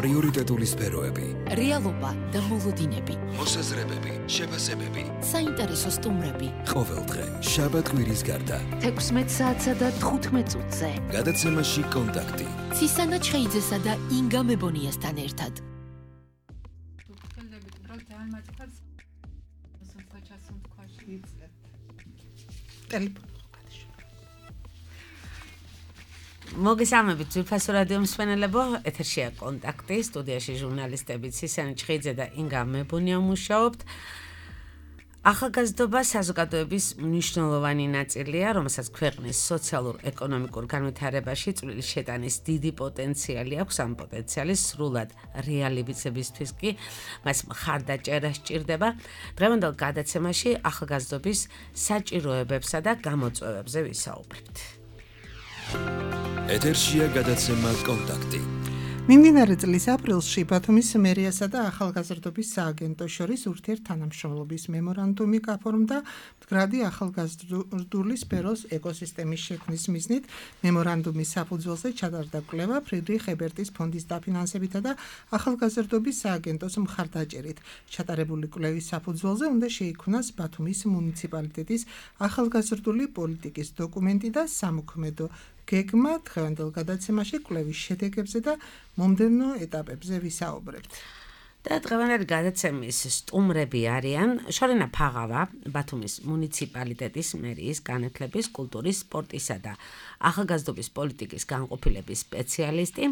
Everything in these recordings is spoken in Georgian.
პრიორიტეტული სფეროები, რეალობა და მოლოდინები, მოსაზრებები, შეფასებები, საინტერესო სტუმრები. ყოველდღე შაბათ-კვირის გარდა 16 საათსა და 15 წუთზე. გადაცემაში კონტაქტი. ცისანა ჩხეიძესა და ინგა მებონიასთან ერთად. მოგესალმებით ძვირფასო რადიო მსმენელებო, ეთერშია კონტაქტი, სტუდიაში ჟურნალისტები ცისანა ჩხეიძე და ინგა მებონია მუშაობთ. ახალგაზრდობა საზოგადოების მნიშვნელოვანი ნაწილია, რომელსაც ქვეყნის სოციალურ-ეკონომიკურ განვითარებაში წვლილი შეტანის დიდი პოტენციალი აქვს. ამ პოტენციალის სრულად რეალიზებისთვის კი მას მხარდაჭერა სჭირდება. დღევანდელ გადაცემაში ახალგაზრდობის საჭიროებებსა და გამოწვევებზე ვისაუბრებთ. ეთერშია გადაცემა კონტაქტი. მიმდინარე წლის აპრილში ბათუმის მერიასა და ახალგაზრდობის სააგენტოს შორის ურთიერთთანამშრომლობის მემორანდუმი გაფორმდა მდგრადი ახალგაზრდული სფეროს ეკოსისტემის შექმნის მიზნით. მემორანდუმის საფუძველზე ჩატარდა კვლევა ფრიდრიხ ებერტის ფონდის დაფინანსებითა და ახალგაზრდობის სააგენტოს მხარდაჭერით. ჩატარებული კვლევის საფუძველზე უნდა შეიქმნას ბათუმის მუნიციპალიტეტის ახალგაზრდული პოლიტიკის დოკუმენტი და სამოქმედო გეგმა. დღევანდელ გადაცემაში კვლევის შედეგებზე და მომდევნო ეტაპებზე ვისაუბრებთ. და დღევანდელი გადაცემის სტუმრები არიან შორენა ფაღავა, ბათუმის მუნიციპალიტეტის მერიის განათლების, კულტურის, სპორტისა და ახალგაზრდობის პოლიტიკის განყოფილების სპეციალისტი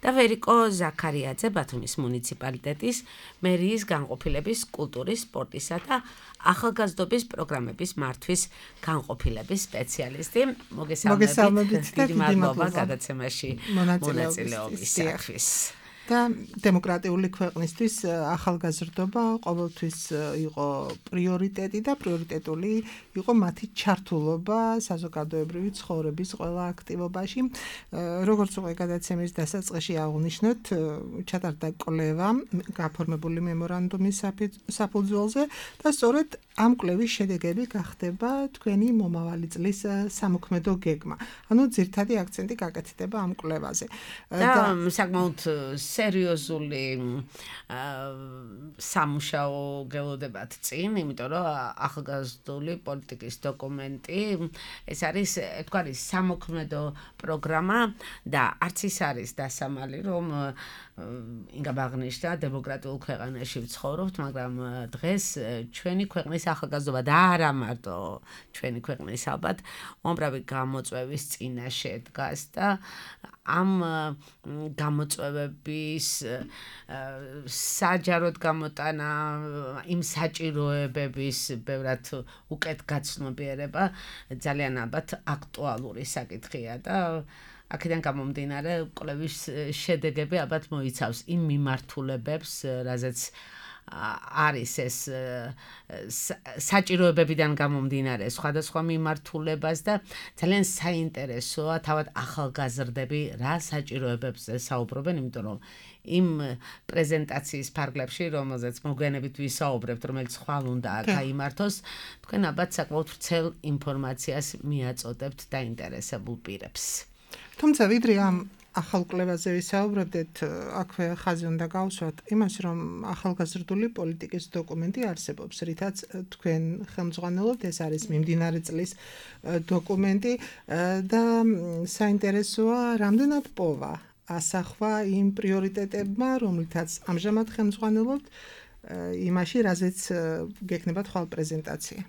და ვერიკო ზაქარიაძე, ბათუმის მუნიციპალიტეტის მერიის განყოფილების, კულტურის, სპორტისა და ახალგაზრდობის პროგრამების მართვის განყოფილების სპეციალისტი. მოგესალმებით და დიდი მადლობა გადაცემაში მონაწილეობისათვის. და დემოკრატიული ქვეყნისთვის ახალგაზრდობა ყოველთვის იყო პრიორიტეტი და პრიორიტეტული იყო მათი ჩართულობა საზოგადოებრივი ცხოვრების ყველა აქტივობაში. როგორც უკვე გადაცემის დასაწყისში აღნიშნოთ, ჩატარდა კვლევა გაფორმებული მემორანდუმის საფუძველზე და სწორედ ამ კვლევის შედეგები გახდება თქვენი მომავალი წლის სამოქმედო გეგმა. ანუ ძირითადი აქცენტი გაკეთდება ამ კვლევაზე. და საკმაოდ სერიოზული სამუშაო გელოდებათ წინ, იმიტომ რომ ახალგაზრდული პოლიტიკის დოკუმენტი ეს არის თქვარი სამოქმედო პროგრამა და არც ის არის დასამალი, რომ ინგა აღნიშნა დემოკრატიულ ქვეყანაში ვცხოვრობთ, მაგრამ დღეს ჩვენი ქვეყნის ახალგაზრდობა და არა მარტო ჩვენი ქვეყნის ალბათ უამრავი გამოწვევის წინაშე დგას და ამ გამოწვევების საჯაროდ გამოტანა, იმ საჭიროებების ბევრად უკეთ გაცნობიერება ძალიან ალბათ აქტუალური საკითხია და აქედან გამომდინარე კვლევის შედეგები ალბათ მოიცავს იმ მიმართულებებს, რაზეც არის ეს საჭიროებებიდან გამომდინარე სხვადასხვა მიმართულებას და ძალიან საინტერესოა თავად ახალგაზრდები რა საჭიროებებზე საუბრობენ, იმიტომ რომ იმ პრეზენტაციის ფარგლებში, რომელზეც მოგვიანებით ვისაუბრებთ, რომელიც ხვალ უნდა გაიმართოს, თქვენ ალბათ საკმაოდ ვრცელ ინფორმაციას მიაწოდებთ დაინტერესებულ პირებს. თუმცა ვიდრე ამ ახალ კვლევაზე ვისაუბრებდეთ, აქვე ხაზი უნდა გავუსვათ იმას, რომ ახალგაზრდული პოლიტიკის დოკუმენტი არსებობს, რითაც თქვენ ხელმძღვანელობთ, ეს არის მიმდინარე წლის დოკუმენტი და საინტერესოა, რამდენად პოვა ასახვა იმ პრიორიტეტებმა, რომლითაც ამჟამად ხელმძღვანელობთ, იმაში, რაზეც გექნებათ ხვალ პრეზენტაცია.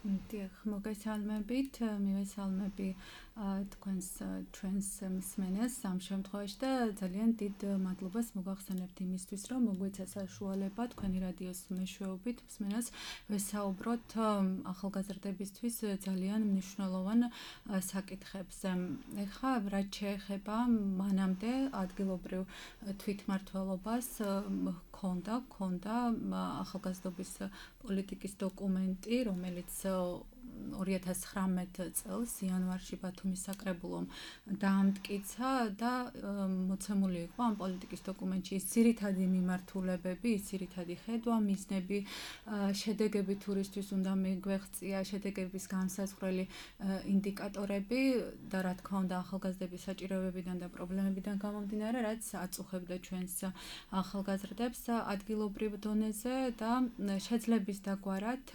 დიახ, მოგესალმებით, მივესალმები ჩვენს მსმენელს ამ შემთხვევაში და ძალიან დიდ მადლობას მოგახსენებთ იმისთვის, რომ მოგვეცა საშუალება თქვენი რადიოს მეშვეობით მსმენელს ვესაუბროთ ახალგაზრდებისთვის ძალიან მნიშვნელოვან საკითხებზე. ეხლა რაც შეეხება მანამდე ადგილობრივ თვითმმართველობას ქონდა ახალგაზრდობის პოლიტიკის დოკუმენტი, რომელიც 2019 წელს იანვარში ბათუმის საკრებულომ დაამტკიცა და მოცემული იყო ამ პოლიტიკის დოკუმენტში ის ძირითადი მიმართულებები, ის ძირითადი ხედვა, მიზნები, შედეგები თურისთვის უნდა მიგვეღწია, შედეგების განსაზღვრელი ინდიკატორები და რა თქმა უნდა ახალგაზრდების საჭიროებებიდან და პრობლემებიდან გამომდინარე, რაც აწუხებდა ჩვენს ახალგაზრდებს ადგილობრივ დონეზე და შეძლების დაგვარად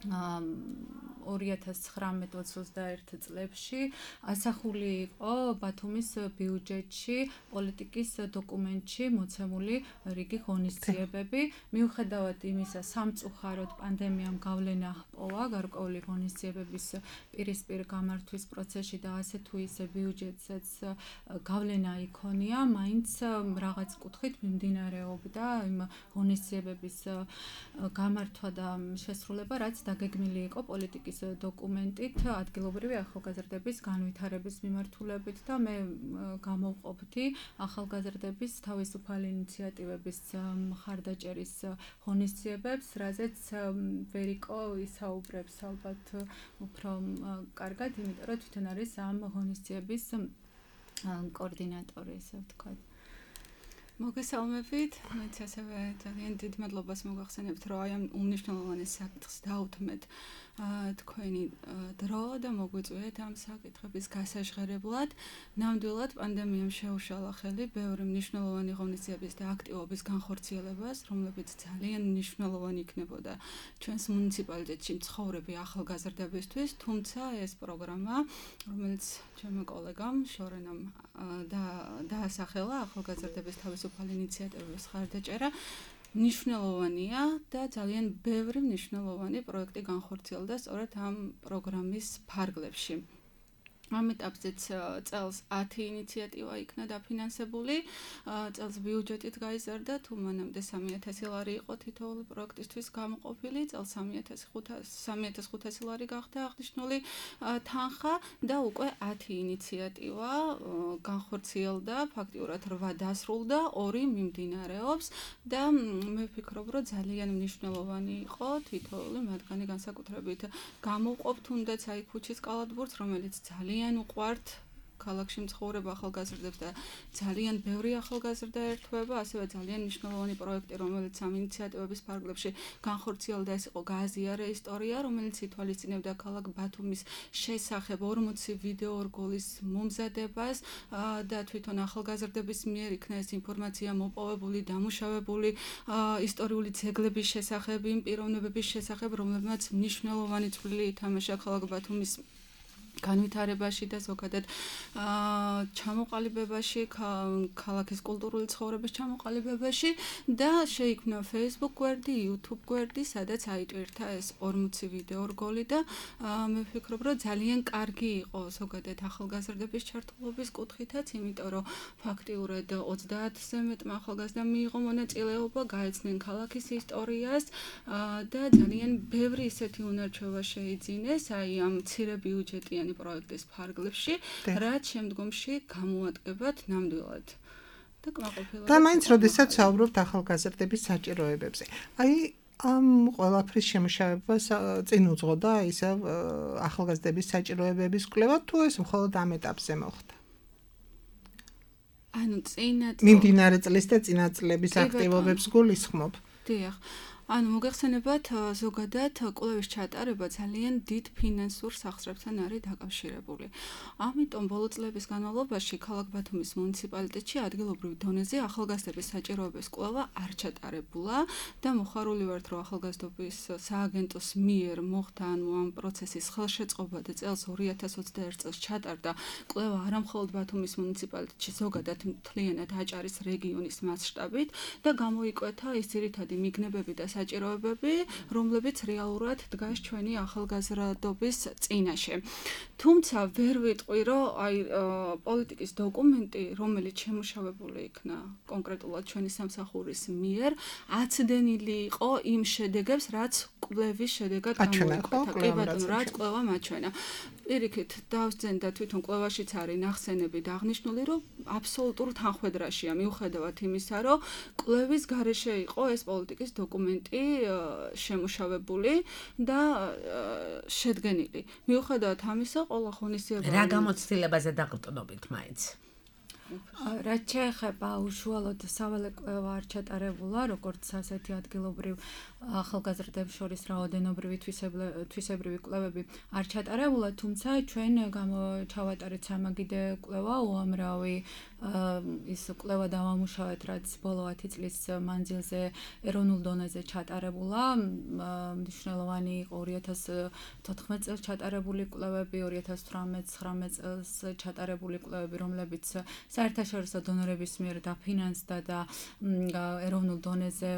2019-21 წლებში ასახული იყო ბათუმის ბიუჯეტში პოლიტიკის დოკუმენტში მოცემული რიგი ღონისძიებები. მიუხედავად იმისა, სამწუხაროდ პანდემიამ გავლენა ჰპოვა გარკვეული ღონისძიებების პირისპირ გამართვის პროცესში და ასე თუ ისე ბიუჯეტსაც გავლენა იქონია, მაინც რაღაც კუთხით მიმდინარეობდა იმ ღონისძიებების გამართვა და შესრულება, რაც დაგეგმილი იყო პოლიტიკის დოკუმენტით ადგილობრივი ახალგაზრდების განვითარების მიმართულებით და მე გამოვყოფდი ახალგაზრდების თავისუფალი ინიციატივების მხარდაჭერის ღონისძიებებს, რაზეც ვერიკო ისაუბრებს ალბათ უფრო კარგად, იმიტომ რომ თვითონ არის ამ ღონისძიების კოორდინატორი, ესე ვთქვათ. მოგესალმებით, მეც ასევე ძალიან დიდ მადლობას მოგახსენებთ, რომ აი ამ უმნიშვნელოვანეს საკითხს დავუთმეთ თქვენი დრო და მოგვიწვიეთ ამ საკითხების გასაჟღერებლად. ნამდვილად პანდემიამ შეუშალა ხელი ბევრი მნიშვნელოვანი ღონისძიების და აქტივობის განხორციელებას, რომლებიც ძალიან მნიშვნელოვანი იქნებოდა ჩვენს მუნიციპალიტეტში მცხოვრები ახალგაზრდებისთვის, თუმცა ეს პროგრამა, რომელიც ჩემო კოლეგამ შორენამ დაასახელა ახალგაზრდების თავისუფალი ინიციატივების მხარდაჭერა, მნიშვნელოვანია და ძალიან ბევრი მნიშვნელოვანი პროექტი განხორციელდა სწორედ ამ პროგრამის ფარგლებში. ამ ეტაპზეც წელს 10 ინიციატივა იქნა დაფინანსებული, წელს ბიუჯეტით გაიზარდა, თუ მანამდე 3,000 ლარი იყო თითოეული პროექტისთვის გამოყოფილი, წელს 3,500 ლარი გახდა აღნიშნული თანხა და უკვე 10 ინიციატივა განხორციელდა, ფაქტიურად 8 დასრულდა, 2 მიმდინარეობს და მე ვფიქრობ, რომ ძალიან მნიშვნელოვანი იყო თითოეული მათგანი განსაკუთრებით გამოვყოფ თუნდაც აი ქუჩის კალათბურთს, რომელიც ძალიან უყვართ ქალაქში მცხოვრებ ახალგაზრდებს და ძალიან ბევრი ახალგაზრდა ერთვება, ასევე ძალიან მნიშვნელოვანი პროექტი, რომელიც ამ ინიციატივების ფარგლებში განხორციელდა, ეს იყო გააზიარე ისტორია, რომელიც ითვალისწინებდა ქალაქ ბათუმის შესახებ 40 ვიდეო რგოლის მომზადებას და თვითონ ახალგაზრდების მიერ იქნა ეს ინფორმაცია მოპოვებული, დამუშავებული ისტორიული ძეგლების შესახებ, იმ პიროვნებების შესახებ, რომლებმაც მნიშვნელოვანი წვლილი ითამაშა ქალაქ ბათუმის განვითარებაში და ზოგადად ჩამოყალიბებაში, ქალაქის კულტურული ცხოვრების ჩამოყალიბებაში და შეიქმნა Facebook გვერდი, YouTube გვერდი, სადაც აიტვირთა ეს 40 ვიდეო რგოლი და მე ვფიქრობ, რომ ძალიან კარგი იყო ზოგადად ახალგაზრდების ჩართულობის კუთხითაც, იმიტომ რომ ფაქტიურად 30-ზე მეტმა ახალგაზრდამ მიიღო მონაწილეობა, გაეცნენ ქალაქის ისტორიას და ძალიან ბევრი ისეთი უნარჩვევა შეიძინეს აი ამ მცირე ბიუჯეტიანი პროექტის ფარგლებში, რაც შემდგომში გამოადგებათ ნამდვილად. და კმაყოფილება. და მაინც როდესაც საუბრობთ ახალგაზრდების საჭიროებებზე. აი ამ ყველაფრის შემუშავებას წინ უძღოდა ისევ ახალგაზრდების საჭიროებების კვლევა, თუ ეს მხოლოდ ამ ეტაპზე მოხდა? ანუ წინა მიმდინარე წლის და წინა წლების აქტივობებს გულისხმობ. დიახ. ანუ მოგეხსენებათ, ზოგადად კვლევის ჩატარება ძალიან დიდ ფინანსურ სახსრებთან არის დაკავშირებული. ამიტომ ბოლო წლების განმავლობაში ქალაქ ბათუმის მუნიციპალიტეტში ადგილობრივ დონეზე ახალგაზრდების საჭიროებების კვლევა არ ჩატარებულა და მოხარული ვართ, რომ ახალგაზრდობის სააგენტოს მიერ მოხდა ამ პროცესის ხელშეწყობა და წელს 2021 წელს ჩატარდა კვლევა არამხოლოდ ბათუმის მუნიციპალიტეტში, ზოგადად მთლიანად აჭარის რეგიონის მასშტაბით და გამოიკვეთა ის ძირითადი მიგნებები და საჭიროებები, რომლებიც რეალურად დგას ჩვენი ახალგაზრდობის წინაშე. თუმცა ვერ ვიტყვი, რომ აი პოლიტიკის დოკუმენტი, რომელიც შემუშავებული იქნა კონკრეტულად ჩვენი სამსახურის მიერ, აცდენილი იყო იმ შედეგებს, რაც კვლევის შედეგად გამოიკვეთა. კი ბატონო, რაც კვლევა მაჩვენა. პირიქით დავსძენ და თვითონ კვლევაშიც არის ნახსენები და აღნიშნული, რომ აბსოლუტურ თანხმედრაშია მიუხედავად იმისა, რომ კვლევის გარეშე იყო ეს პოლიტიკის დოკუმენტი დოკუმენტი შემუშავებული და შედგენილი. მიუხედავად ამისა, ყველა ღონისძიება რა გამოცდილებაზე დაყრდნობით მაინც? რაც შეეხება უშუალოდ სავალე კვლევა არ ჩატარებულა, როგორც ასეთი ადგილობრივ ახალგაზრდებს შორის რაოდენობრივი თვისებრივი კვლევები არ ჩატარებულა, თუმცა ჩვენ ჩავატარეთ სამაგიდე კვლევა, უამრავი ის კვლევა დავამუშავეთ, რაც ბოლო 10 წლის მანძილზე ეროვნულ დონეზე ჩატარებულა. მნიშვნელოვანი იყო 2014 წელს ჩატარებული კვლევები, 2018-19 წელს ჩატარებული კვლევები, რომლებიც საერთაშორისო დონორების მიერ დაფინანსდა და ეროვნულ დონეზე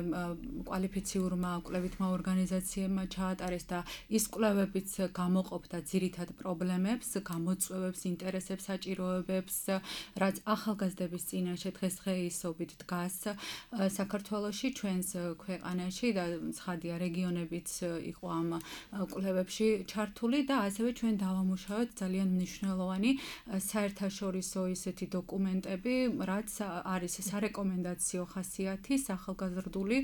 კვალიფიციურმა კვლევითმა ორგანიზაციებმა ჩაატარეს და ის კვლევებიც გამოყოფდა ძირითად პრობლემებს, გამოწვევებს, ინტერესებს, საჭიროებებს, რაც ახალგაზრდების წინაშე დღესდღეობით დგას საქართველოში, ჩვენს ქვეყანაში და ცხადია რეგიონებიც იყო ამ კვლევებში ჩართული და ასევე ჩვენ დავამუშავეთ ძალიან მნიშვნელოვანი საერთაშორისო ისეთი დოკუმენტები, რაც არის სარეკომენდაციო ხასიათის ახალგაზრდული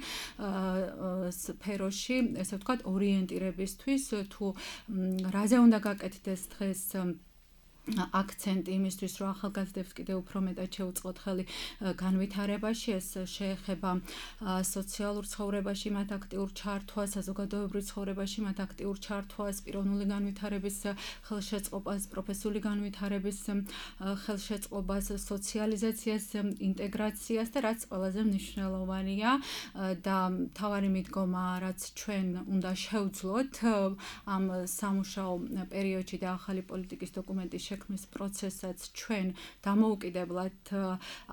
სფეროში, ესე ვთქვათ, ორიენტირებისთვის, თუ რაზე უნდა გაკეთდეს დღეს აქცენტი იმისთვის, რომ ახალგაზრდებს კიდევ უფრო მეტად შეუწყოთ ხელი განვითარებაში, ეს შეეხება სოციალურ ცხოვრებაში მათ აქტიურ ჩართვას, საზოგადოებრივ ცხოვრებაში მათ აქტიურ ჩართვას, პიროვნული განვითარების ხელშეწყობას, პროფესიული განვითარების ხელშეწყობას, სოციალიზაციას, ინტეგრაციას და რაც ყველაზე მნიშვნელოვანია და მთავარი მიდგომა, რაც ჩვენ უნდა შევძლოთ ამ სამუშაო პერიოდში და ახალი პოლიტიკის დოკუმენტის შექმნის პროცესაც ჩვენ დამოუკიდებლად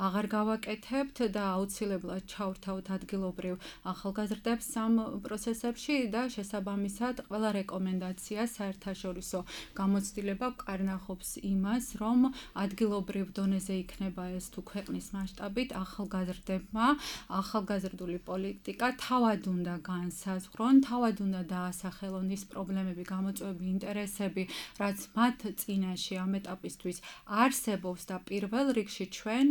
აღარ გავაკეთებთ და აუცილებლად ჩავრთავთ ადგილობრივ ახალგაზრდებს ამ პროცესებში და შესაბამისად ყველა რეკომენდაცია საერთაშორისო გამოცდილება ვკარნახობს იმას, რომ ადგილობრივ დონეზე იქნება ეს თუ ქვეყნის მასშტაბით ახალგაზრდებმა ახალგაზრდული პოლიტიკა თავად უნდა განსაზღვრონ, თავად უნდა დაასახელონ ის პრობლემები, გამოწვევები, ინტერესები, რაც მათ წინაშე ამ ეტაპისთვის არსებობს და პირველ რიგში ჩვენ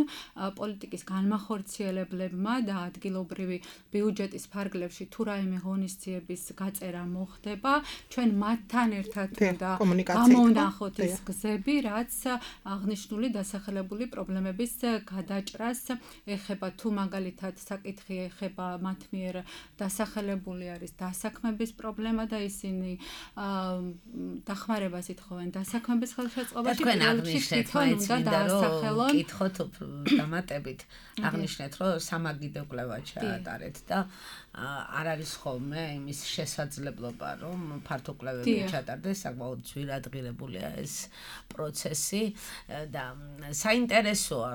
პოლიტიკის განმახორციელებლებმა და ადგილობრივი ბიუჯეტის ფარგლებში თუ რაიმე ღონისძიების გაწერა მოხდება, ჩვენ მათთან ერთად უნდა გამოვნახოთ ის გზები, რაც აღნიშნული დასახელებული პრობლემების გადაჭრას ეხება, თუ მაგალითად საკითხი ეხება მათ მიერ დასახელებული არის დასაქმების პრობლემა და ისინი დახმარებას ითხოვენ დასაქმების ხელშეწყობაში, თქვენ აღნიშნეთ, რომ კითხოთ დამატებით, აღნიშნეთ, რომ სამაგიდო კვლევა ჩაატარეთ და არ არის ხოლმე იმის შესაძლებლობა, რომ ფართო კვლევები ჩატარდეს, საკმაოდ ძვირადღირებულია ეს პროცესი და საინტერესოა,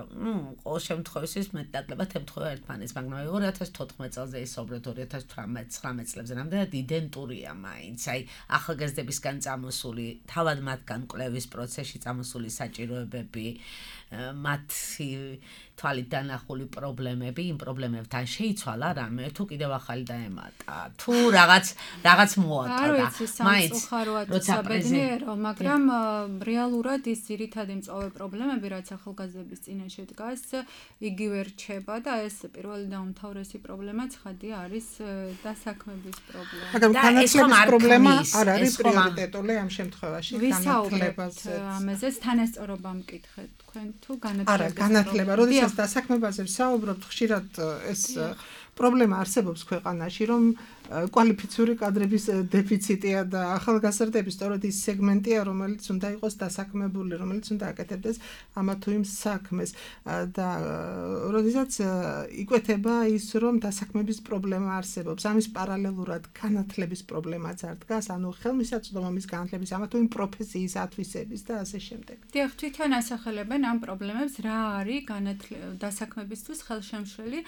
ყოველ შემთხვევაში მეტნაკლებად ემთხვევა ერთმანეთს, მაგრამ 2014 წელზე ისაუბრეთ 2018-19 წლებზე, რამდენად იდენტურია მაინც, აი ახალგაზრდებისგან წამოსული, თავად მათგან კვლევის პროცესში წამოსული საჭიროებები, მათი თვალით დანახული პრობლემები, იმ პრობლემებთან შეიცვალა რამე, თუ კიდევ ახალი დაემატა, თუ რაღაც მოატა და მაინც როცა ბედნიერო, მაგრამ რეალურად ის ძირითადი მწვავე პრობლემები, რაც ახალგაზრდების წინაშე დგას, იგივე რჩება და ეს პირველი და უმთავრესი პრობლემა ცხადია არის დასაქმების პრობლემა. მაგრამ განათლების პრობლემა არ არის პრიორიტეტული ამ შემთხვევაში, განათლებაზე. ამაზე თანასწორობა მკითხეთ თქვენ თუ განათლება. არა, განათლება, როდესაც დასაქმებაზე ვსაუბრობთ, ხშირად ეს პრობლემა არსებობს ქვეყანაში, რომ კვალიფიციური კადრების დეფიციტია და ახალგაზრდების სწორედ ის სეგმენტია, რომელიც უნდა იყოს დასაქმებული, რომელიც უნდა აკეთებდეს ამა თუ იმ საქმეს და როდესაც იკვეთება ის, რომ დასაქმების პრობლემა არსებობს, ამის პარალელურად განათლების პრობლემაც არ დგას, ანუ ხელმისაწვდომობის განათლების ამა თუ იმ პროფესიის ათვისების და ასე შემდეგ. დიახ, თვითონ ასახელებენ ამ პრობლემებს, რა არის დასაქმებისთვის ხელშემშლელი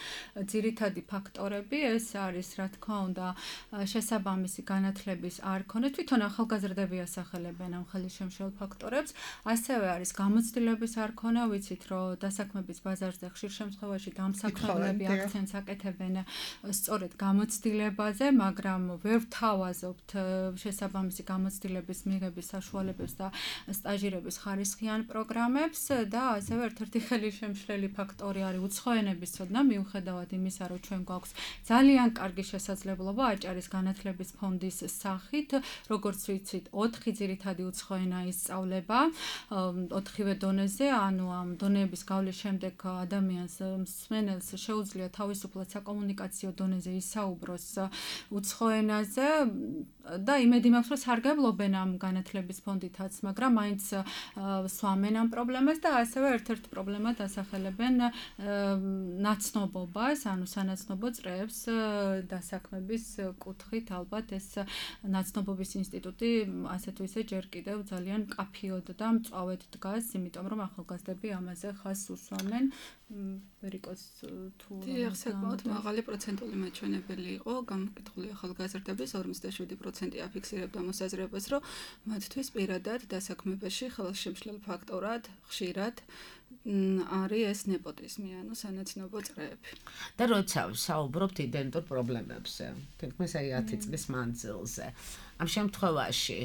ძირითადი ფაქტორები, ეს არის რა თქმა უნდა შესაბამისი განათლების არ ქონა, თვითონ ახალგაზრდები ასახელებენ ამ ხელშემშლელ ფაქტორებს, ასევე არის გამოცდილების არ ქონა, ვიცით რომ დასაქმების ბაზარზე ხშირ შემთხვევაში დამსაქმებლები აქცენტს აკეთებენ სწორედ გამოცდილებაზე, მაგრამ ვერ ვთავაზობთ შესაბამისი გამოცდილების მიღების საშუალებებს და სტაჟირების ხარისხიან პროგრამებს და ასევე ერთ-ერთი ხელშემშლელი ფაქტორი არის უცხო ენების ცოდნა, მიუხედავად იმისა, რომ ჩვენ გვაქვს ძალიან კარგი შესაძლებლობა მუშაობა აჭარის განათლების ფონდის სახით, როგორც ვიცით, 4 ძირითადი უცხო ენა ისწავლება, 4-ვე დონეზე, ანუ ამ დონეების გავლის შემდეგ ადამიანს მსმენელს შეუძლია თავისუფლად საკომუნიკაციო დონეზე ისაუბროს უცხო ენაზე და იმედი მაქვს, რომ სარგებლობენ ამ განათლების ფონდითაც, მაგრამ მაინც სვამენ ამ პრობლემას და ასევე ერთ-ერთ პრობლემად ასახელებენ ნაცნობობას, ანუ სანაცნობო წრეებს დასაქმების კუთხით ალბათ ეს ნაცნობობის ინსტიტუტი ასე თუ ისე ჯერ კიდევ ძალიან მკაფიოდ და მწვავედ დგას, იმიტომ რომ ახალგაზრდები ამაზე ხაზს უსვამენ. ვერიკოს თუ საკმაოდ მაღალი პროცენტული მაჩვენებელი იყო გამოკითხული ახალგაზრდების 57% აფიქსირებდა მოსაზრებას, რომ მათთვის პირადად დასაქმებაში ხელშემშლელ ფაქტორად ხშირად არის ეს ნეპოტიზმი, ანუ სანაცნობო წრეები. და როცა საუბრობთ იდენტურ პრობლემებზე, თითქმის 10 წლის მანძილზე, ამ შემთხვევაში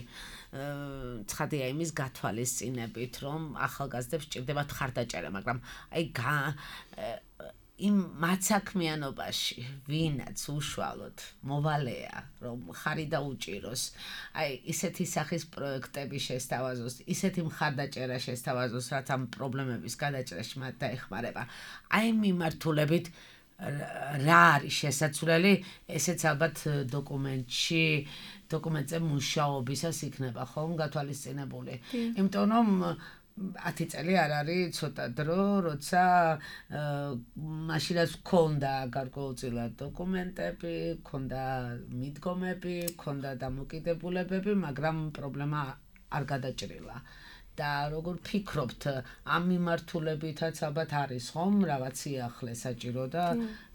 ცხადია იმის გათვალისწინებით, რომ ახალგაზრდებს სჭირდებათ ხარდაჭერა, მაგრამ იმ მაცაქმიანობაში ვინაც უშუალოდ მოვალეა, რომ ხარი დაუჭიროს, ისეთი სახის პროექტები შესთავაზოს, ისეთი მხარდაჭერა შესთავაზოს, რაც ამ პრობლემების გადაჭრაში მათ დაეხმარება. მიმართულებით რა არის შესაძლებელი, ესეც ალბათ დოკუმენტზე მუშაობისას იქნება ხომ გათვალისწინებული. იმიტომ რომ 10 წელი არ არის ცოტა დრო, როცა მაშინაც გქონდა გარკვეულწილად დოკუმენტები, გქონდა მიდგომები, გქონდა დამოკიდებულებები, მაგრამ პრობლემა არ გადაჭრილა. და როგორ ფიქრობთ, ამ მიმართულებითაც ალბათ არის ხომ რაღაც სიახლე საჭირო და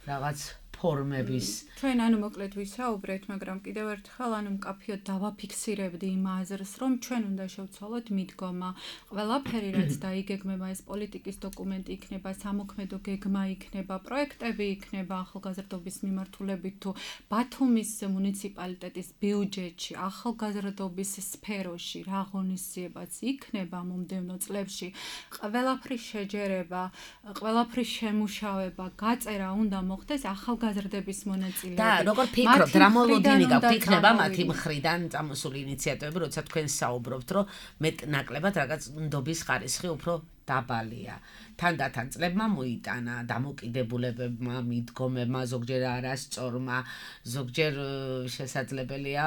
რაღაც ფორმების. ჩვენ ანუ მოკლედ ვისაუბრეთ, მაგრამ კიდევ ერთხელ ანუ მკაფიოდ დავაფიქსირებდი იმ აზრს, რომ ჩვენ უნდა შევცვალოთ მიდგომა. ყველაფერი რაც დაიგეგმება, ეს პოლიტიკის დოკუმენტი იქნება, სამოქმედო გეგმა იქნება, პროექტები იქნება ახალგაზრდობის მიმართულებით თუ ბათუმის მუნიციპალიტეტის ბიუჯეტში, ახალგაზრდობის სფეროში რა ღონისძიებაც იქნება მომდევნო წლებში, ყველაფრის შეჯერება, ყველაფრის შემუშავება, გაწერა უნდა მოხდეს ახალგაზრდების მონაწილეობით. და როგორ ფიქრობთ, რა მოლოდინი გაქვთ იქნება მათი მხრიდან წამოსული ინიციატივები, როცა თქვენ საუბრობთ, რომ მეტ-ნაკლებად რაღაც ნდობის ხარისხი უფრო დაბალია. თანდათან წლებმა მოიტანა დამოკიდებულებებმა, მიდგომებმა, ზოგჯერ არასწორმა, ზოგჯერ შესაძლებელია,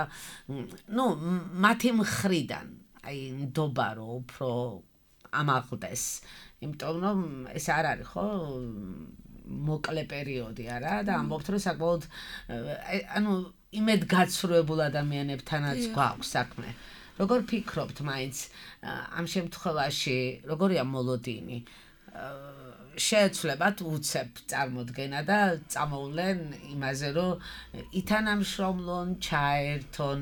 მათი მხრიდან, ნდობა რო უფრო ამაღლდეს. იმიტომ რომ ეს არ არის ხო მოკლე პერიოდი არა და ამბობთ რომ საკმაოდ იმედგაცრუებულ ადამიანებთანაც გვაქვს საქმე. როგორ ფიქრობთ მაინც ამ შემთხვევაში როგორია მოლოდინი? შეეცვლებათ უცებ წარმოდგენა და წამოვლენ იმაზე რომ ითანამშრომლონ, ჩაერთონ,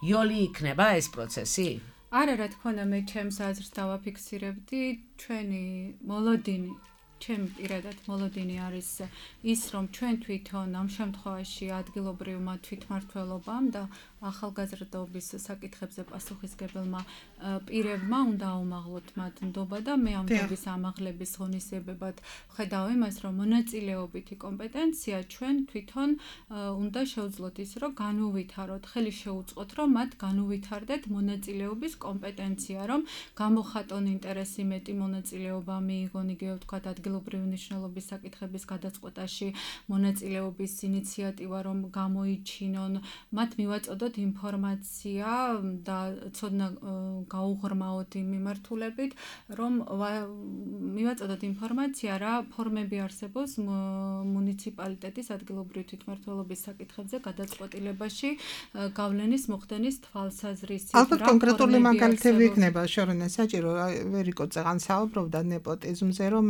იოლი იქნება ეს პროცესი? არა, რა თქმა უნდა, მე ჩემს აზრს დავაფიქსირებდი, ჩვენი მოლოდინი ჩემი პირადად მოლოდინი არის ის, რომ ჩვენ თვითონ ამ შემთხვევაში ადგილობრივმა თვითმმართველობამ და ახალგაზრდობის საკითხებზე პასუხისმგებელმა პირებმა უნდა აუმაღლოთ მათ ნდობა და მე ამ ნდობის ამაღლების ღონისძიებებად ვხედავ იმას, რომ მონაწილეობითი კომპეტენცია ჩვენ თვითონ უნდა შევძლოთ ის, რომ განუვითაროთ, ხელი შეუწყოთ, რომ მათ განუვითარდეთ მონაწილეობის კომპეტენცია, რომ გამოხატონ ინტერესი, მეტი მონაწილეობა მიიღონ, იგივე ვთქვათ, ადგილობრივი მნიშვნელობის საკითხების გადაწყვეტაში მონაწილეობის ინიციატივა, რომ გამოიჩინონ, მათ მივაწოდოთ ინფორმაცია და ცოდნა გაუღრმაოთ იმ მიმართულებით, რომ მივაწოდოთ ინფორმაცია, რა ფორმები არსებობს მუნიციპალიტეტის ადგილობრივი თვითმმართველობის საკითხებზე გადაწყვეტილებაში გავლენის მოხდენის თვალსაზრისით. ალბათ კონკრეტული მაგალითები იქნება, შორენა საჭირო, ვერიკო წეგან საუბრობდა ნეპოტიზმზე, რომ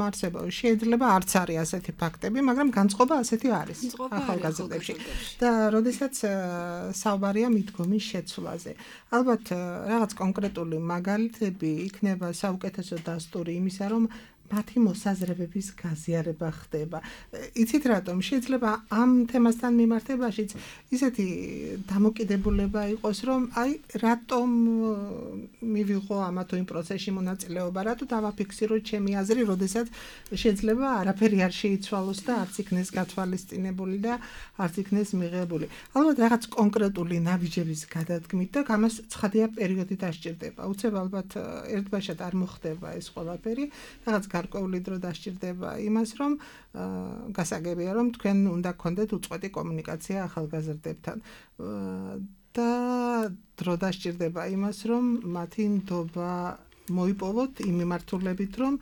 შეიძლება არც არის ასეთი ფაქტები, მაგრამ განწყობა ასეთი არის ახალგაზრდებში. და როდესაც საუბარია მიდგომის შეცვლაზე. ალბათ რაღაც კონკრეტული მაგალითები იქნება საუკეთესო დასტური იმისა, რომ მათი მოსაზრებების გაზიარება ხდება. იცით რატომ? შეიძლება ამ თემასთან მიმართებაშიც ისეთი დამოკიდებულება იყოს, რომ აი რატომ მივიღო ამა თუ იმ პროცესში მონაწილეობა, რატო დავაფიქსირო ჩემი აზრი, როდესაც შეიძლება არაფერი არ შეიცვალოს და არც იქნეს გათვალისწინებული და არც იქნეს მიღებული. ალბათ რაღაც კონკრეტული ნაბიჯების გადადგმით და ამას ცხადია პერიოდი დასჭირდება. უცებ ალბათ ერთბაშად არ მოხდება ეს ყველაფერი, რაღაც გარკვეული დრო დასჭირდება იმას, რომ გასაგებია, რომ თქვენ უნდა გქონდეთ უწყვეტი კომუნიკაცია ახალგაზრდებთან. და დრო დასჭირდება იმას, რომ მათი ნდობა მოიპოვოთ იმ მიმართულებით, რომ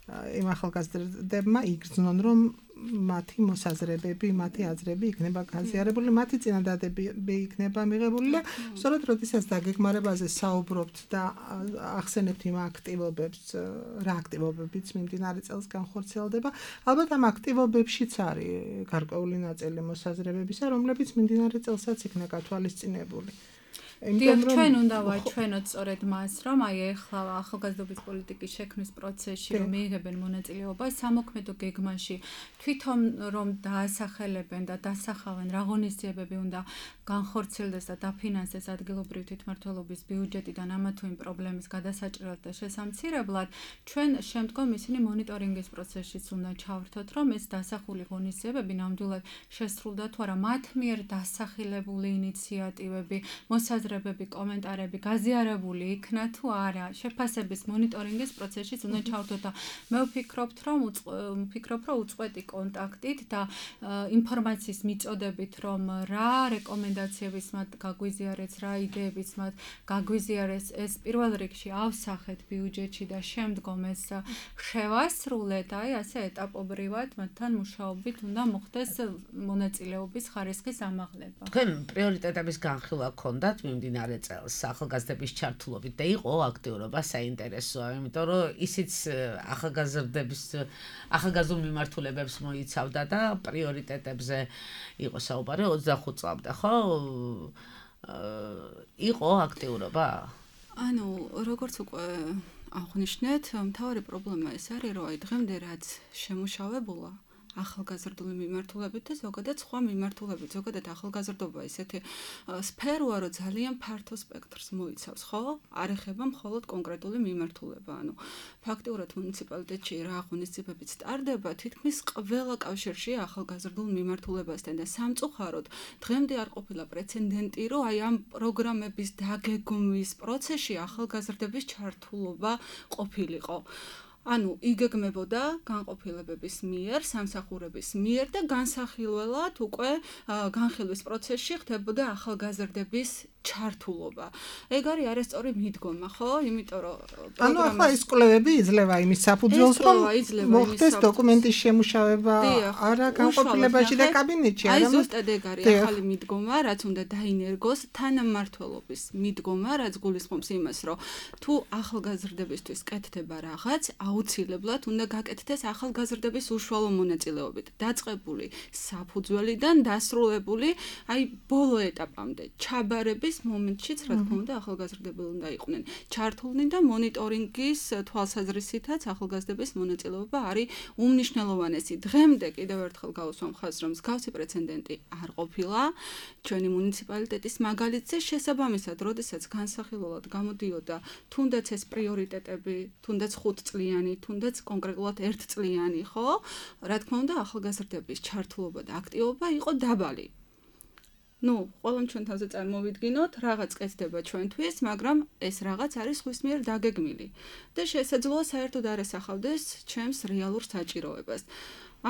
იმ ახალგაზრდებმა იგრძნონ, რომ მათი მოსაზრებები, მათი აზრები იქნება გაზიარებული, მათი წინადადებები იქნება მიღებული და სწორედ როდესაც დაგეგმარებაზე საუბრობთ და ახსენებთ იმ აქტივობებს, რა აქტივობებიც მიმდინარე წელს განხორციელდება, ალბათ ამ აქტივობებშიც არის გარკვეული ნაწილი მოსაზრებებისა, რომლებიც მიმდინარე წელსაც იქნა გათვალისწინებული. ჩვენ უნდა ვაჩვენოთ სწორედ მას, რომ აი ეხლა ახალგაზრდობის პოლიტიკის შექმნის პროცესში რომ მიიღებენ მონაწილეობა სამოქმედო გეგმაში, თვითონ რომ დაასახელებენ და დასახავენ რა ღონისძიებები უნდა განხორციელდეს და დაფინანსდეს ადგილობრივი თვითმმართველობის ბიუჯეტიდან ამა თუ იმ პრობლემის გადასაჭრელად და შესამცირებლად, ჩვენ შემდგომ ისინი მონიტორინგის პროცესშიც უნდა ჩავრთოთ, რომ ეს დასახული ღონისძიებები ნამდვილად შესრულდა თუ არა მათ მიერ დასახელებული ინიციატივები, მოსაზრებები, კომენტარები გაზიარებული იქნა თუ არა, შეფასების მონიტორინგის პროცესშიც უნდა ჩავრთოთ და მე ვფიქრობ, რომ უწყვეტი კონტაქტით და ინფორმაციის მიწოდებით, რომ რა რეკომენდაციების მათ გაგვიზიარეს, რა იდეებიც მათ გაგვიზიარეს, ეს პირველ რიგში ავსახეთ ბიუჯეტში და შემდგომ ეს შევასრულეთ, აი ასე ეტაპობრივად მათთან მუშაობით უნდა მოხდეს მონაწილეობის ხარისხის ამაღლება. თქვენ პრიორიტეტების განხილვა გქონდათ მიმდინარე წელს ახალგაზრდების ჩართულობით და იყო აქტიურობა საინტერესოა, იმიტომ რომ ისიც ახალგაზრდულ მიმართულებებს მოიცავდა და პრიორიტეტებზე იყო საუბარი 25 წლამდე, ხო? იყო აქტიურობა? ანუ როგორც უკვე აღნიშნეთ, მთავარი პრობლემა ეს არის, რომ აი დღემდე რაც შემუშავებულა ახალგაზრდული მიმართულებით და ზოგადად სხვა მიმართულებით, ზოგადად ახალგაზრდობა ისეთი სფეროა, რომ ძალიან ფართო სპექტრს მოიცავს, ხო? არ ეხება მხოლოდ კონკრეტული მიმართულება. ანუ ფაქტიურად მუნიციპალიტეტში რა ღონისძიებებიც ტარდება, თითქმის ყველა კავშირში ახალგაზრდულ მიმართულებასთან და სამწუხაროდ დღემდე არ ყოფილა პრეცედენტი, რომ აი ამ პროგრამების დაგეგმვის პროცესში ახალგაზრდების ჩართულობა ყოფილიყო. ანუ იგეგმებოდა განყოფილებების მიერ, სამსახურების მიერ და განსახილველად უკვე განხილვის პროცესში ხდებოდა ახალგაზრდების ჩართულობა. ეგ არის არასწორი მიდგომა, ხო? იმიტომ რომ ანუ ახლა ის კვლევები იძლევა იმის საფუძველს, რომ მოხდეს დოკუმენტის შემუშავება არა განყოფილებაში და კაბინეტში, აი ზუსტად ეგ არის ახალი მიდგომა, რაც უნდა დაინერგოს თანამმართველობის მიდგომა, რაც გულისხმობს იმას, რომ თუ ახალგაზრდებისთვის კეთდება რაღაც, აუცილებლად უნდა გაკეთდეს ახალგაზრდების უშუალო მონაწილეობით, დაწყებული საფუძველიდან დასრულებული, აი ბოლო ეტაპამდე, ჩაბარების მომენტშიც, რა თქმა უნდა, ახალგაზრდები უნდა იყვნენ ჩართულნი და მონიტორინგის თვალსაზრისითაც ახალგაზრდების მონაწილეობა არის უმნიშვნელოვანესი. დღემდე კიდევ ერთხელ გავუსვამ ხაზს, რომ მსგავსი პრეცედენტი არ ყოფილა ჩვენი მუნიციპალიტეტის მაგალითზე შესაბამისად, როდესაც განსახილველად გამოდიოდა თუნდაც ეს პრიორიტეტები, თუნდაც 5 წლიანი, თუნდაც კონკრეტულად 1 წლიანი, ხო? რა თქმა უნდა, ახალგაზრდების ჩართულობა და აქტივობა იყო დაბალი. ნუ, ყველამ ჩვენ თავზე წარმოვიდგინოთ, რაღაც კეთდება ჩვენთვის, მაგრამ ეს რაღაც არის ხვის მიერ დაგეგმილი და შესაძლოა საერთოდ არ ესახავდეს ჩემს რეალურ საჭიროებას.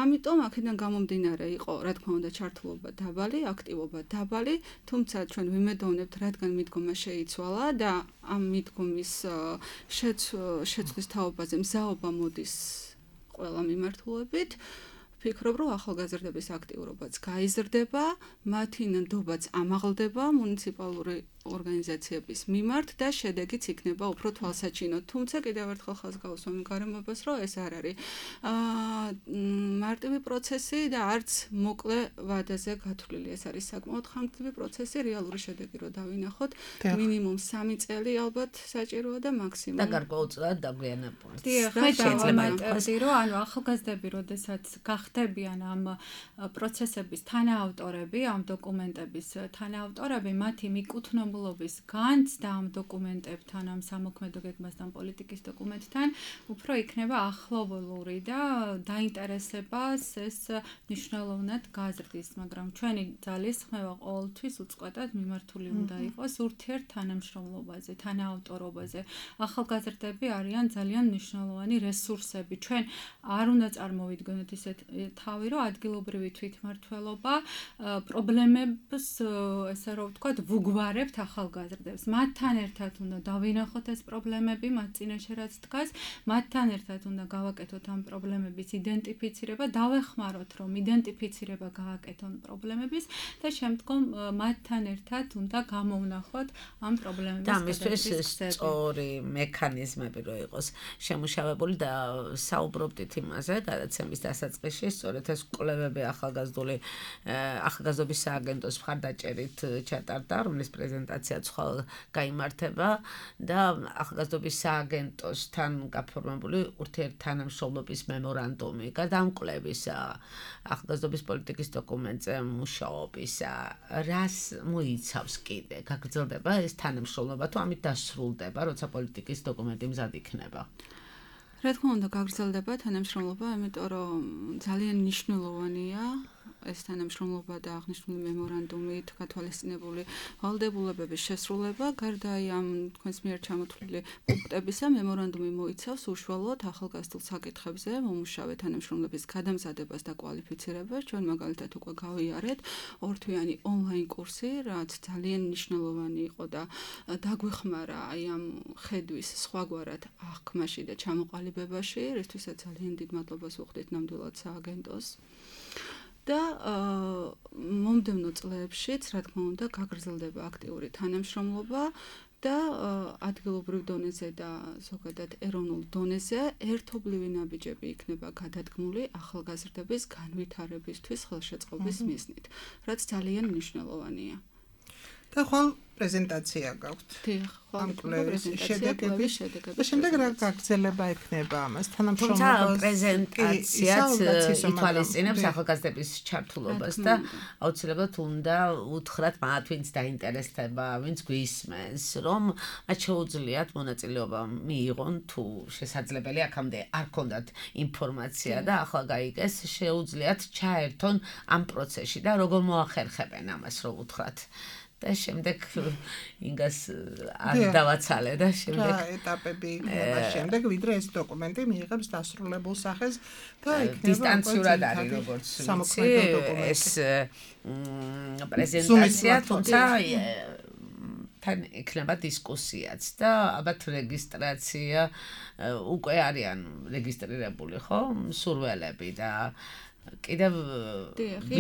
ამიტომ აქედან გამომდინარე იყო, რა თქმა უნდა, ჩართულობა დაბალი, აქტივობა დაბალი, თუმცა ჩვენ ვიმედოვნებთ, რადგან მიდგომა შეიცვალა და ამ მიდგომის შეცვლის თაობაზე მზაობა მოდის ყველა მიმართულებით. ვფიქრობ, რომ ახალგაზრდების აქტიურობაც გაიზრდება, მათი ნდობაც ამაღლდება მუნიციპალური ორგანიზაციების მიმართ და შედეგიც იქნება უფრო თვალსაჩინო. თუმცა კიდევ ერთხელ ხაზს გავუსვამ გარემოებას, რომ ეს არ არის მარტივი პროცესი და არც მოკლე ვადაზე გათვლილი. ეს არის საკმაოდ ხანგრძლივი პროცესი, რეალური შედეგი რო დავინახოთ, მინიმუმ 3 წელი ალბათ საჭიროა და მაქსიმუმ და გარკვეულწილად დაგვიანებული. დიახ, შეიძლება ითქვას, რომ ანუ ახალგაზრდები, როდესაც გახდებიან ამ პროცესების თანაავტორები, ამ დოკუმენტების თანაავტორები, მათი მიკუთვნებულობის განცდა ამ დოკუმენტებთან, ამ სამოქმედო გეგმასთან, პოლიტიკის დოკუმენტთან, უფრო იქნება ახლობლური და დაინტერესებას ეს მნიშვნელოვნად გაზრდის, მაგრამ ჩვენი ძალის ხმევა ყოველთვის უწყვეტად მიმართული უნდა იყოს ურთიერთთანამშრომლობაზე, თანაავტორობაზე. ახალგაზრდები არიან ძალიან მნიშვნელოვანი რესურსები. ჩვენ არ უნდა წარმოვიდგინოთ ისეთ თავი, რომ ადგილობრივი თვითმმართველობა პრობლემებს, ესე რომ ვთქვათ, ვუგვარებთ ახალგაზრდებს. მათთან ერთად უნდა დავინახოთ ეს პრობლემები, მათ წინაშე რაც დგას, მათთან ერთად უნდა გავაკეთოთ ამ პრობლემების იდენტიფიცირება, დავეხმაროთ, რომ იდენტიფიცირება გააკეთონ პრობლემების და შემდგომ მათთან ერთად უნდა გამოვნახოთ ამ პრობლემების და ამისთვის სწორი მექანიზმები რო იყოს შემუშავებული და საუბრობდით იმაზე, გადაცემის დასაწყისში, სწორედ ეს კვლევები ახალგაზრდობის სააგენტოს მხარდაჭერით ჩატარდა, რომლის პრეზენტაციაც ხვალ გაიმართება და ახალგაზრდობის სააგენტოსთან გაფორმებული ურთიერთთანამშრომლობის მემორანდუმი, გადამკვლევისა, ახალგაზრდობის პოლიტიკის დოკუმენტზე მუშაობისა, რას მოიცავს კიდე? გაგრძელდება ეს თანამშრომლობა თუ ამით დასრულდება, როცა პოლიტიკის დოკუმენტი მზად იქნება? რა თქმა უნდა, გაგრძელდება თანამშრომლობა, იმიტომ რომ ძალიან მნიშვნელოვანია ეს თანამშრომლობა და აღნიშნული მემორანდუმით გათვალისწინებული ვალდებულებების შესრულება. გარდა ამ თქვენს მიერ ჩამოთვლილი პუნქტებისა, მემორანდუმი მოიცავს უშუალოდ ახალგაზრდულ საკითხებზე მომუშავე თანამშრომლების გადამზადებას და კვალიფიცირებას. ჩვენ მაგალითად უკვე გავიარეთ ორთვიანი ონლაინ კურსი, რაც ძალიან მნიშვნელოვანი იყო და დაგვეხმარა აი ამ ხედვის სხვაგვარად აღქმაში და ჩამოყალიბებაში, რისთვისაც ძალიან დიდ მადლობას ვუხდით ნამდვილად სააგენტოს. და მომდევნო წლებშიც, რა თქმა უნდა, გაგრძელდება აქტიური თანამშრომლობა და ადგილობრივ დონეზე და ზოგადად ეროვნულ დონეზე ერთობლივი ნაბიჯები იქნება გადადგმული ახალგაზრდების განვითარებისთვის ხელშეწყობის მიზნით, რაც ძალიან მნიშვნელოვანია. და ხვალ პრეზენტაცია გაქვთ. დიახ, ამ კვლევის შედეგების და შემდეგ რა გაგრძელება ექნება ამას თანამშრომლობას. თუმცა პრეზენტაციაც ითვალისწინებს ახალგაზრდების ჩართულობას და აუცილებლად უნდა უთხრათ მათ, ვინც დაინტერესდება, ვინც გვისმენს, რომ მათ შეუძლიათ მონაწილეობა მიიღონ თუ შესაძლებელი აქამდე არ ქონდათ ინფორმაცია და ახლა გაიგეს, შეუძლიათ ჩაერთონ ამ პროცესში და როგორ მოახერხებენ ამას, რომ უთხრათ. და შემდეგ ინგას არ დავაცალე და შემდეგ ეტაპები იქნება შემდეგ, ვიდრე ეს დოკუმენტი მიიღებს დასრულებულ სახეს და იქნება დისტანციურად არის როგორც ეს პრეზენტაცია, თუმცა თან იქნება დისკუსიაც და ალბათ რეგისტრაცია უკვე არიან რეგისტრირებული, ხო? მსურველები და კიდევ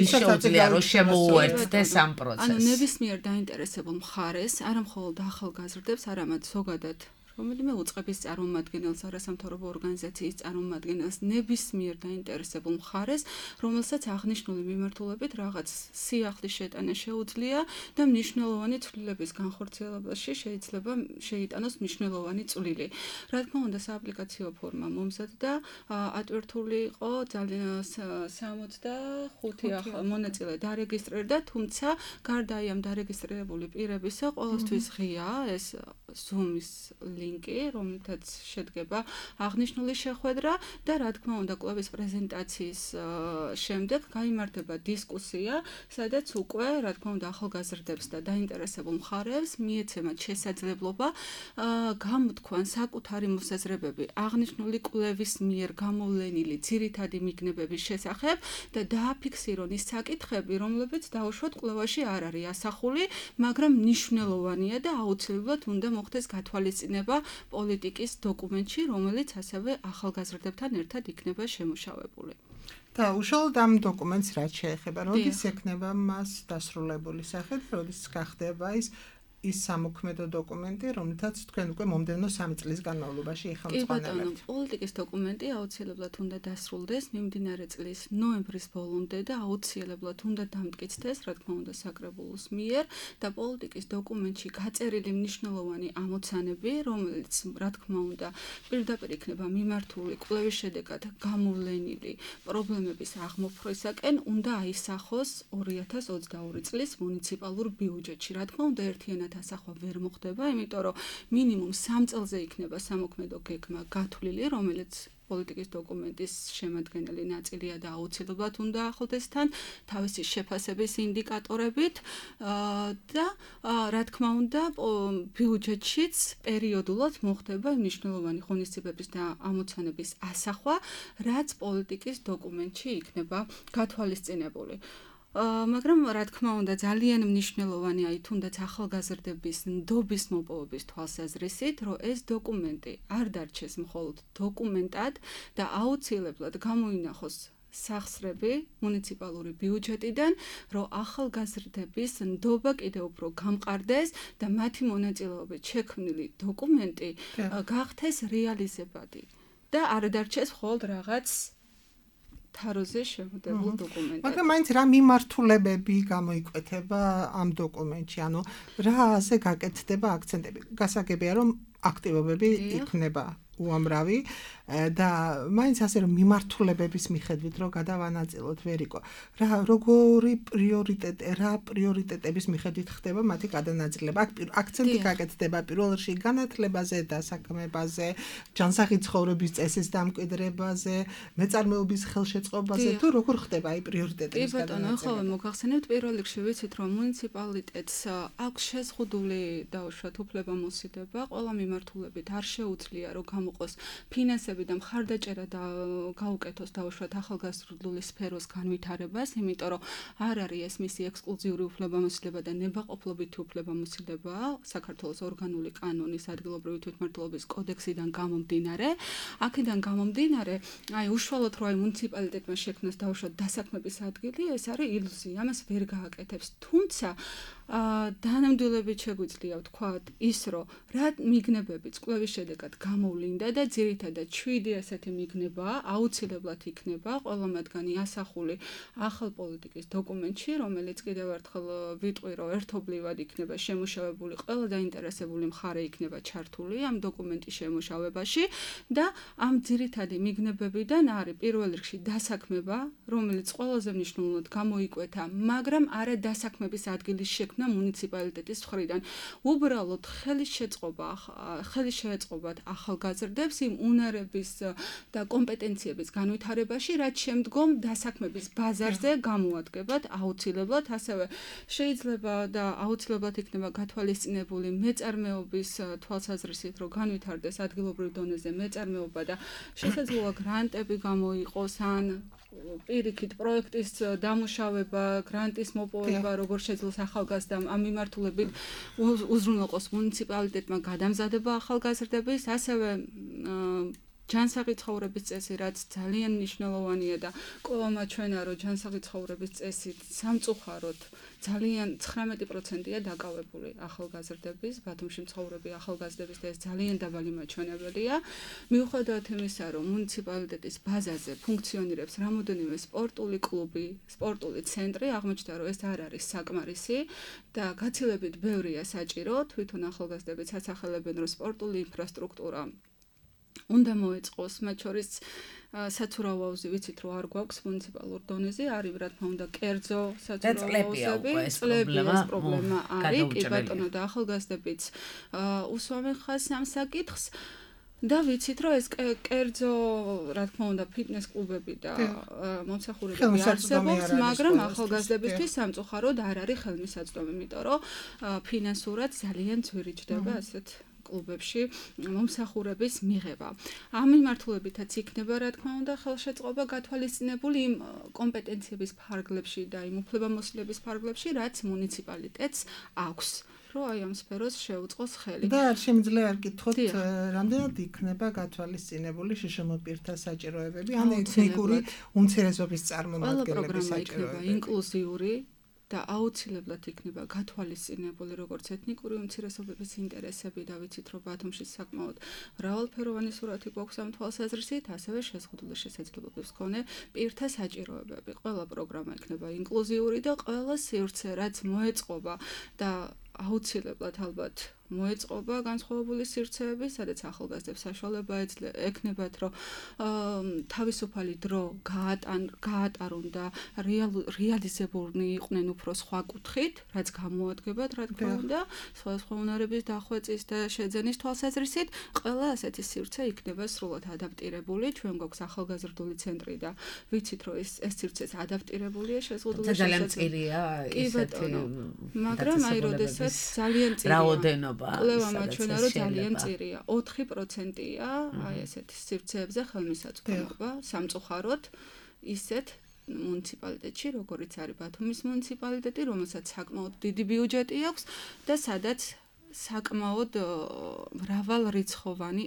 შეუძლია რომ შემოუერთდეს ამ პროცესს. ანუ ნებისმიერ დაინტერესებულ მხარეს, არა მხოლოდ ახალგაზრდებს, არამედ ზოგადად რომელიმე უწყების წარმომადგენელს, არასამთავრობო ორგანიზაციის წარმომადგენელს, ნებისმიერ დაინტერესებულ მხარეს, რომელსაც აღნიშნული მიმართულებით რაღაც სიახლის შეტანა შეუძლია და მნიშვნელოვანი ცვლილების განხორციელებაში შეიძლება შეიტანოს მნიშვნელოვანი წვლილი. რა თქმა უნდა, სააპლიკაციო ფორმა მომზადდა, ატვირთული იყო ძალიან 65 მონაწილე დარეგისტრირდა, თუმცა გარდა ამ დარეგისტრირებული პირებისა, ყოველთვის ღია ეს Zoom-ის ლინკი, რომელთაც შედგება აღნიშნული შეხვედრა და რა თქმა უნდა, კვლევის პრეზენტაციის შემდეგ გაიმართება დისკუსია, სადაც უკვე, რა თქმა უნდა, ახალგაზრდებს და დაინტერესებულ მხარეს მიეცემათ შესაძლებლობა გამოთქვან საკუთარი მოსაზრებები აღნიშნული კვლევის მიერ გამოვლენილი ძირითადი მიგნებების შესახებ და დააფიქსირონ ის საკითხები, რომლებიც დაუშვათ კვლევაში არ არის ასახული, მაგრამ მნიშვნელოვანია და აუცილებლად უნდა მოხდეს გათვალისწინება პოლიტიკის დოკუმენტში, რომელიც ასევე ახალგაზრდებთან ერთად იქნება შემუშავებული. და უშუალოდ ამ დოკუმენტს რაც შეეხება, როდის ექნება მას დასრულებული სახე, როდის გახდება ის ის სამოქმედო დოკუმენტი, რომელთაც თქვენ უკვე მომდევნო 3 წლის განმავლობაში იხელმძღვანელებთ. პოლიტიკის დოკუმენტი აუცილებლად უნდა დასრულდეს მიმდინარე წლის ნოემბრის ბოლომდე და აუცილებლად უნდა დამტკიცდეს, რა თქმა უნდა, საკრებულოს მიერ და პოლიტიკის დოკუმენტში გაწერილი მნიშვნელოვანი ამოცანები, რომელიც, რა თქმა უნდა, პირდაპირ იქნება მიმართული კვლევის შედეგად გამოვლენილი პრობლემების აღმოფხვისაკენ, უნდა აისახოს 2022 წლის მუნიციპალურ ბიუჯეტში. რა თქმა უნდა, ერთიანად ასახვა ვერ მოხდება, იმიტომ რომ მინიმუმ 3 წელზე იქნება სამოქმედო გეგმა გათვლილი, რომელიც პოლიტიკის დოკუმენტის შემადგენელი ნაწილია და აუცილებლად უნდა ახლდეს თან თავისი შეფასების ინდიკატორებით და რა თქმა უნდა ბიუჯეტშიც პერიოდულად მოხდება მნიშვნელოვანი ღონისძიებების და ამოცანების ასახვა, რაც პოლიტიკის დოკუმენტში იქნება გათვალისწინებული. მაგრამ რა თქმა უნდა ძალიან მნიშვნელოვანია თუნდაც ახალგაზრდების ნდობის მოპოვების თვალსაზრისით, რომ ეს დოკუმენტი არ დარჩეს მხოლოდ დოკუმენტად და აუცილებლად გამოინახოს სახსრები მუნიციპალური ბიუჯეტიდან, რომ ახალგაზრდების ნდობა კიდევ უფრო გამყარდეს და მათი მონაწილეობით შექმნილი დოკუმენტი გახდეს რეალიზებადი და არ დარჩეს მხოლოდ რაღაც თაროზე შემოდებულ დოკუმენტად. მაგრამ მაინც რა მიმართულებები გამოიკვეთება ამ დოკუმენტში, ანუ რაზე გაკეთდება აქცენტები? გასაგებია, რომ აქტივობები იქნება უამრავი და მაინც ასე რომ მიმართულებების მიხედვით რომ გადავანაწილოთ ვერიკო. როგორი პრიორიტეტების მიხედვით ხდება მათი გადანაწილება? აქცენტი გაკეთდება პირველ რიგში განათლებაზე, დასაქმებაზე, ჯანსაღი ცხოვრების წესის დამკვიდრებაზე, მეწარმეობის ხელშეწყობაზე თუ როგორ ხდება აი პრიორიტეტების გადანაწილება? კი ბატონო, მოახსენებთ პირველ რიგში ვიცით რომ მუნიციპალიტეტს აქვს შეზღუდული დაუშვათ უფლებამოსილება, ყველა მიმართულებით არ შეუძლია რომ გამოყოს ფინანსები და მხარდაჭერა და გაუკეთოს დაუშვათ ახალგაზრდული სფეროს განვითარებას, იმიტომ რომ არ არის ეს მისი ექსკლუზიური უფლებამოსილება და ნებაყოფლობითი უფლებამოსილება საქართველოს ორგანული კანონის ადგილობრივი თვითმმართველობის კოდექსიდან გამომდინარე. აქედან გამომდინარე, აი უშუალოდ რომ აი მუნიციპალიტეტმა შექმნას დაუშვათ დასაქმების ადგილი, ეს არის ილუზია, ამას ვერ გააკეთებს. თუმცა დანამდვილებით შეგვიძლია ვთქვათ ის, რომ რა მიგნებებიც კვლევის შედეგად გამოვლინდა და ძირითადად 7 ასეთი მიგნება აუცილებლად იქნება ყველა მათგანი ასახული ახალ პოლიტიკის დოკუმენტში, რომელიც კიდევ ერთხელ ვიტყვი, რომ ერთობლივად იქნება შემუშავებული, ყველა დაინტერესებული მხარე იქნება ჩართული ამ დოკუმენტის შემუშავებაში და ამ ძირითადი მიგნებებიდან არის პირველ რიგში დასაქმება, რომელიც ყველაზე მნიშვნელოვნად გამოიკვეთა, მაგრამ არა დასაქმების ადგილის შექმნა მუნიციპალიტეტის მხრიდან. უბრალოდ ხელის შეწყობათ ახალგაზრდებს იმ უნარების და კომპეტენციების განვითარებაში, რაც შემდგომ დასაქმების ბაზარზე გამოადგებათ აუცილებლად, ასევე შეიძლება და აუცილებლად იქნება გათვალისწინებული მეწარმეობის თვალსაზრისით, რომ განვითარდეს ადგილობრივ დონეზე მეწარმეობა და შესაძლოა გრანტები გამოიყოს ან პირიქით პროექტის დამუშავება, გრანტის მოპოვება, როგორ შეძლოს ახალგაზრდამ ამ მიმართულებით უზრუნველყოს მუნიციპალიტეტმა გადამზადება ახალგაზრდების, ასევე ჯანსაღი ცხოვრების წესი, რაც ძალიან მნიშვნელოვანია და ყოველმა ჩვენა რომ ჯანსაღი ცხოვრების წესით სამწუხაროდ ძალიან 19%-ია დაკავებული ახალგაზრდების, ბათუმში მცხოვრები ახალგაზრდების და ეს ძალიან დაბალი მაჩვენებელია. მიუხედავად იმისა, რომ მუნიციპალიტეტის ბაზაზე ფუნქციონირებს რამოდენიმე სპორტული კლუბი, სპორტული ცენტრი, აღმოჩნდა, რომ ეს არ არის საკმარისი და გაცილებით ბევრია საჭირო, თვითონ ახალგაზრდებიც ასახელებენ, რომ სპორტული ინფრასტრუქტურა უნდა მოეწყოს, მათ შორის საცურაო აუზი ვიცით რომ არ გვაქვს მუნიციპალურ დონეზე, არის რა თქმა უნდა კერძო საცურაო აუზები, წლებია ეს პრობლემა არის, კი ბატონო და ახალგაზრდებიც უსვამენ ხაზს ამ საკითხს და ვიცით რომ ეს კერძო რა თქმა უნდა ფიტნეს კლუბები და მომსახურებები არსებობს, მაგრამ ახალგაზრდებისთვის სამწუხაროდ არ არის ხელმისაწვდომი, იმიტომ რომ ფინანსურად ძალიან ძვირი ჯდება ასეთ კლუბებში მომსახურების მიღება. ამ მიმართულებითაც იქნება რა თქმა უნდა ხელშეწყობა გათვალისწინებული იმ კომპეტენციების ფარგლებში და იმ უფლებამოსილების ფარგლებში, რაც მუნიციპალიტეტს აქვს, რომ აი ამ სფეროს შეუწყოს ხელი. და არ შემიძლია არ გითხოთ, რამდენად იქნება გათვალისწინებული შშმ პირთა საჭიროებები, ან ეთნიკური უმცირესობის წარმომადგენლების საჭიროებები. ინკლუზიური და აუცილებლად იქნება გათვალისწინებული როგორც ეთნიკური უმცირესობების ინტერესები და ვიცით რომ ბათუმში საკმაოდ მრავალფეროვანი სურათი გვაქვს ამ თვალსაზრისით, ასევე შეზღუდული შესაძლებლობების მქონე პირთა საჭიროებები. ყველა პროგრამა იქნება ინკლუზიური და ყველა სივრცე რაც მოეწყობა და აუცილებლად ალბათ მოეწყობა განსხვავებული სივრცეები, სადაც ახალგაზრდებს საშუალება ექნებათ, რომ თავისუფალი დრო გაატარონ და რეალიზებულნი იყვნენ უფრო სხვა კუთხით, რაც გამოადგებათ, რა თქმა უნდა, სხვადასხვა უნარების დახვეწის და შეძენის თვალსაზრისით, ყველა ასეთი სივრცე იქნება სრულად ადაპტირებული. ჩვენ გვაქვს ახალგაზრდული ცენტრი და ვიცით, რომ ეს სივრცეც ადაპტირებულია შეზღუდული შესაძლებლობებით. კი ბატონო, მაგრამ აი როდესაც ძალიან წირია რაოდენობა კვლევა მაჩვენა, რომ ძალიან წირია. 4%-ია აი ესეთ სივრცეებზე ხელმისაწვდომობა სამწუხაროდ ისეთ მუნიციპალიტეტში, როგორიც არის ბათუმის მუნიციპალიტეტი, რომელსაც საკმაოდ დიდი ბიუჯეტი აქვს და სადაც საკმაოდ მრავალრიცხოვანი,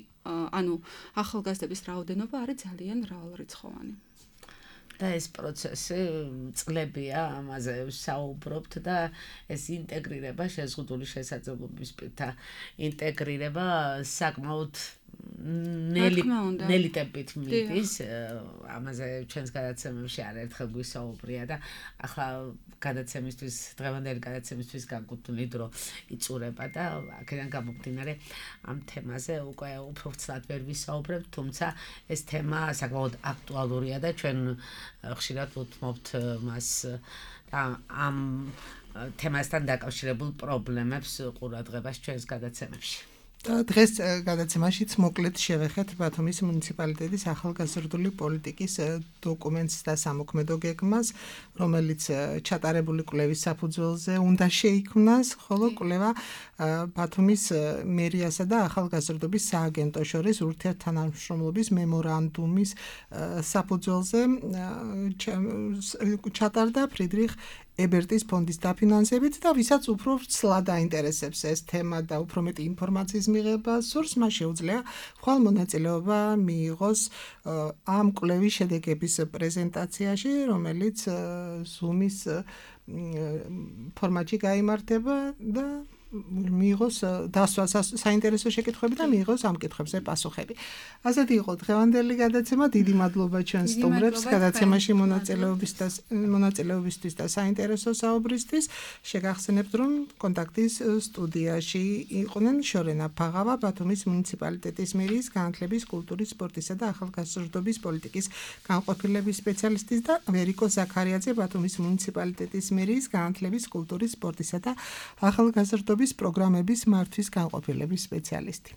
ანუ ახალგაზრდების რაოდენობა არის ძალიან მრავალრიცხოვანი. და ეს პროცესი წლებია ამაზე საუბრობთ და ეს ინტეგრირება შეზღუდული შესაძლებლობის პირთა ინტეგრირება საკმაოდ ნელი ტემპით მიდის. ამაზე ჩვენს გადაცემებში არაერთხელ გვისაუბრია და ახლა გადაცემისთვის, დღევანდელი გადაცემისთვის განკუთვნილი დრო იწურება და აქედან გამომდინარე ამ თემაზე უკვე უფრო ვრცლად ვერ ვისაუბრებთ, თუმცა ეს თემა საკმაოდ აქტუალურია და ჩვენ ხშირად ვუთმობთ მას და ამ თემასთან დაკავშირებულ პრობლემებს ყურადღებას ჩვენს გადაცემებში. და დღეს გადაცემაშიც მოკლედ შევეხეთ ბათუმის მუნიციპალიტეტის ახალგაზრდული პოლიტიკის დოკუმენტს და სამოქმედო გეგმას, რომელიც ჩატარებული კვლევის საფუძველზე უნდა შეიქმნას, ხოლო კვლევა ბათუმის მერიასა და ახალგაზრდობის სააგენტოს შორის ურთიერთთანამშრომლობის მემორანდუმის საფუძველზე ჩატარდა ფრიდრიხ ებერტის ფონდის დაფინანსებით და ვისაც უფრო ვრცლად აინტერესებს ეს თემა და უფრო მეტი ინფორმაციის მიღება სურს, მას შეუძლია ხვალ მონაწილეობა მიიღოს ამ კვლევის შედეგების პრეზენტაციაში, რომელიც Zoom-ის ფორმატში გაიმართება და მიიღოს დასვა საინტერესო შეკითხვები და მიიღოს ამ კითხვებზე პასუხები. ასეთი იყო დღევანდელი გადაცემა. დიდი მადლობა ჩვენ სტუმრებს გადაცემაში მონაწილეობისთვის და საინტერესო საუბრისთვის. შეგახსენებთ, რომ კონტაქტის სტუდიაში იყვნენ შორენა ფაღავა, ბათუმის მუნიციპალიტეტის მერიის განათლების, კულტურის, სპორტისა და ახალგაზრდობის პოლიტიკის განყოფილების სპეციალისტი და ვერიკო ზაქარიაძე, ბათუმის მუნიციპალიტეტის მერიის განათლების, კულტურის, სპორტისა და ახალგაზრდობის პროგრამების მართვის განყოფილების სპეციალისტი.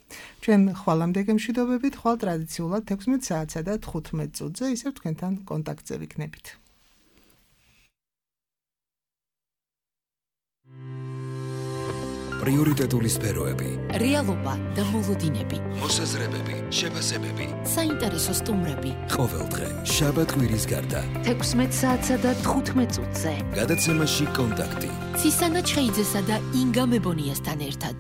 ჩვენ ხვალამდე გემშვიდობებით, ხვალ ტრადიციულად 16 საათსა და 15 წუთზე ისევ თქვენთან კონტაქტზე ვიქნებით. პრიორიტეტული სფეროები, რეალობა და მოლოდინები, მოსაზრებები, შეფასებები, საინტერესო სტუმრები. ყოველდღე შაბათ-კვირის გარდა 16 საათსა და 15 წუთზე. გადაცემაში კონტაქტი. ცისანა ჩხეიძესა და ინგა მებონიასთან ერთად.